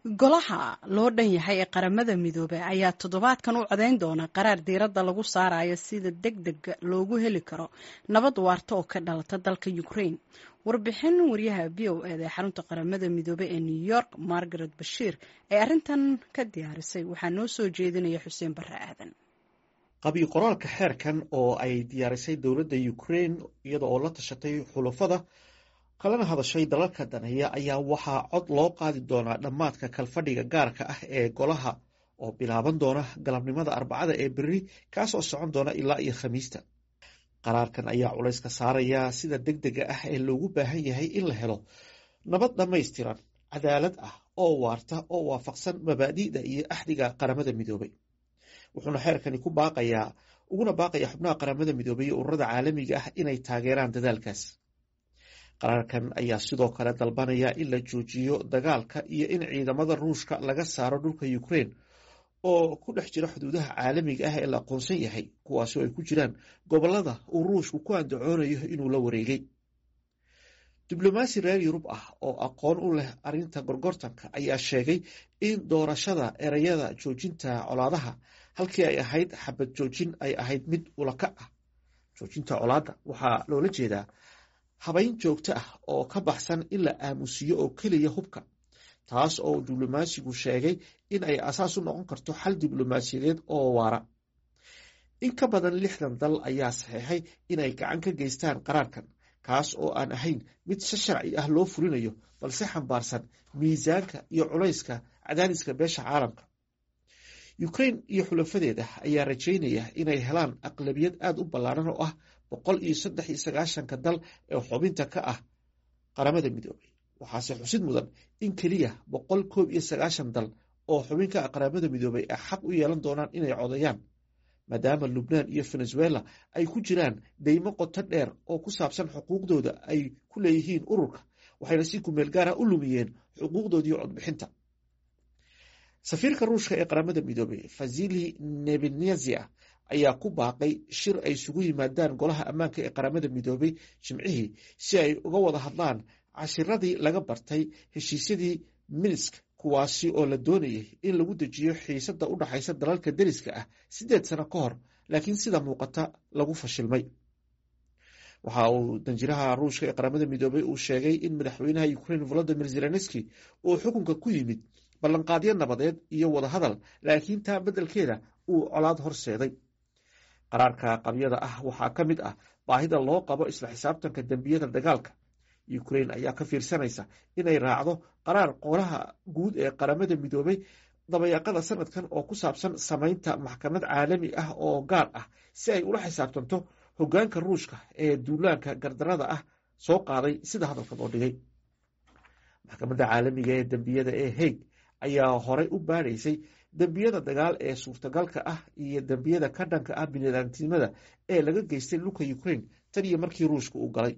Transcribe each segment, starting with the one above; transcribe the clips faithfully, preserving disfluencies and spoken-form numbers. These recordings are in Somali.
Golaha loo dhan yahay ee Qaramada Midoobay ayaa toddobaadkan u codeyn doona qaraar diiradda lagu saarayo sida deg dega loogu heli karo nabad waarta oo ka dhalata dalka Ukraine. Warbixin wariyaha V O E da ee xarunta Qaramada Midoobay ee New York, Margaret Bashiir, ee arrintan ka diyaarisay waxaa noo soo jeedinaya Xuseen Barre Aadan. Qabyo qoraalka xeerkan oo ay diyaarisay dowladda Ukraine iyada oo la tashatay xulafada kalena hadashay dalalka daneeya ayaa waxaa cod loo qaadi doonaa dhammaadka kalfadhiga gaarka ah ee golaha oo bilaaban doona galabnimada Arbacada ee berri, kaasoo socon doona ilaa iyo Khamiista. Qaraarkan ayaa culayska saaraya sida deg dega ah ee loogu baahan yahay in la helo nabad dhammaystiran, cadaalad ah oo waarta oo waafaqsan mabaadi'da iyo axdiga Qaramada Midoobay. Wuxuuna xeerkani ku baaqayaa uguna baaqaya xubnaha Qaramada Midoobay iyo ururada caalamiga ah inay taageeraan dadaalkaas. Qaraarkan ayaa sidoo kale dalbanaya in la joojiyo dagaalka iyo in ciidamada Ruushka laga saaro dhulka Ukraine oo ku dhex jira xuduudaha caalamiga ah ee la aqoonsan yahay, kuwaasi oo ay ku jiraan gobolada uu Ruushku ku andacoonayo inuu la wareegay. Diblomaasi reer Yurub ah oo aqoon u leh arrinta gorgortanka ayaa sheegay in doorashada ereyada joojinta colaadaha halkii ay ahayd xabad joojin ay ahayd mid ulakac ah. Joojinta colaadda waxaa loola jeedaa habayn joogto ah oo ka baxsan in la aamusiyo oo keliya hubka, taas oo diblomaasigu sheegay in ay asaas u noqon karto xal diblomaasiyadeed oo waara. In ka badan lixdan dal ayaa saxeexay inay gacan ka geystaan qaraarkan, kaas oo aan ahayn mid si sharci ah loo fulinayo balse xambaarsan miisaanka iyo culayska cadaadiska beesha caalamka. Ukraine iyo xulafadeeda ayaa rajaynaya inay helaan aqlabiyad aada u ballaaran oo ah boqol iyo saddex iyo sagaashanka dal ee xubinta ka ah Qaramada Midoobay. Waxaase xusid mudan in keliya boqol koob iyo sagaashan dal oo xubin ka ah Qaramada Midoobay ay xaq u yeelan doonaan inay codeeyaan, maadaama Lubnaan iyo Venezuela ay ku jiraan deymo qoto dheer oo ku saabsan xuquuqdooda ay ku leeyihiin ururka, waxayna si kumeel gaara u lumiyeen xuquuqdoodii codbixinta. Safiirka Ruushka ee Qaramada Midoobay, Vasili Nebenezia, ayaa ku baaqay shir ay isugu yimaadaan Golaha Ammaanka ee Qaramada Midoobay Jimcihii si ay uga wada hadlaan cashiradii laga bartay heshiisyadii Minsk, kuwaasi oo la doonayay in lagu dejiyo xiisada u dhaxaysa dalalka deriska ah siddeed sano ka hor, laakiin sida muuqata lagu fashilmay. Waxa uu danjiraha Ruushka ee Qaramada Midoobay uu sheegay in madaxweynaha Ukraine Volodimir Zelenski uu xukunka ku yimid ballanqaadyo nabadeed iyo wadahadal, laakiin taa beddelkeeda uu colaad horseeday. Qaraarka qabyada ah waxaa ka mid ah baahida loo qabo isla xisaabtanka dembiyada dagaalka. Ukraine ayaa ka fiirsanaysa inay raacdo qaraar Golaha Guud ee Qaramada Midoobay dabayaaqada sanadkan oo ku saabsan samaynta maxkamad caalami ah oo gaar ah si ay ula xisaabtanto hoggaanka Ruushka ee duulaanka gardarada ah soo qaaday, sida hadalka loo dhigay. Maxkamadda Caalamiga ee Dembiyada ee Hague ayaa horey u baadhaysay dembiyada dagaal ee suurtagalka ah iyo dembiyada ka dhanka ah biniaadamtinimada ee laga geystay dhulka Ukraine tan iyo markii Ruushka uu galay.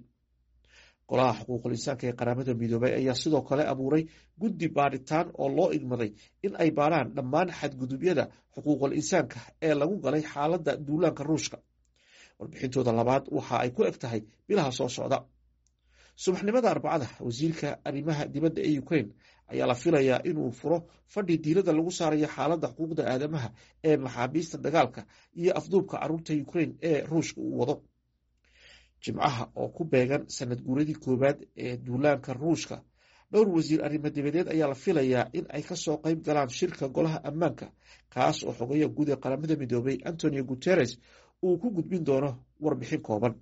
Golaha Xuquuqul Insaanka ee Qaramada Midoobay ayaa sidoo kale abuuray guddi baadhitaan oo loo igmaday in ay baaraan dhammaan xadgudubyada xuquuqul insaanka ee lagu galay xaaladda duulaanka Ruushka. Warbixintooda labaad waxa ay ku eg tahay bilaha soo socda. Subaxnimada Arbacada, wasiirka arrimaha dibadda ee Ukraine ayaa la filayaa inuu furo fadhi diiradda lagu saarayo xaaladda xuquuqda aadamaha ee maxaabiista dagaalka iyo afduubka caruurta Ukraine ee Ruushka uu wado. Jimcaha oo ku beegan sanad guuradii koowaad ee duulaanka Ruushka, dhowr wasiir arrimo dibadeed ayaa la filayaa in ay kasoo qayb galaan shirka Golaha Ammaanka, kaas oo xogeya guud ee Qaramada Midoobay Antonio Guterres uu ku gudbin doono warbixin kooban.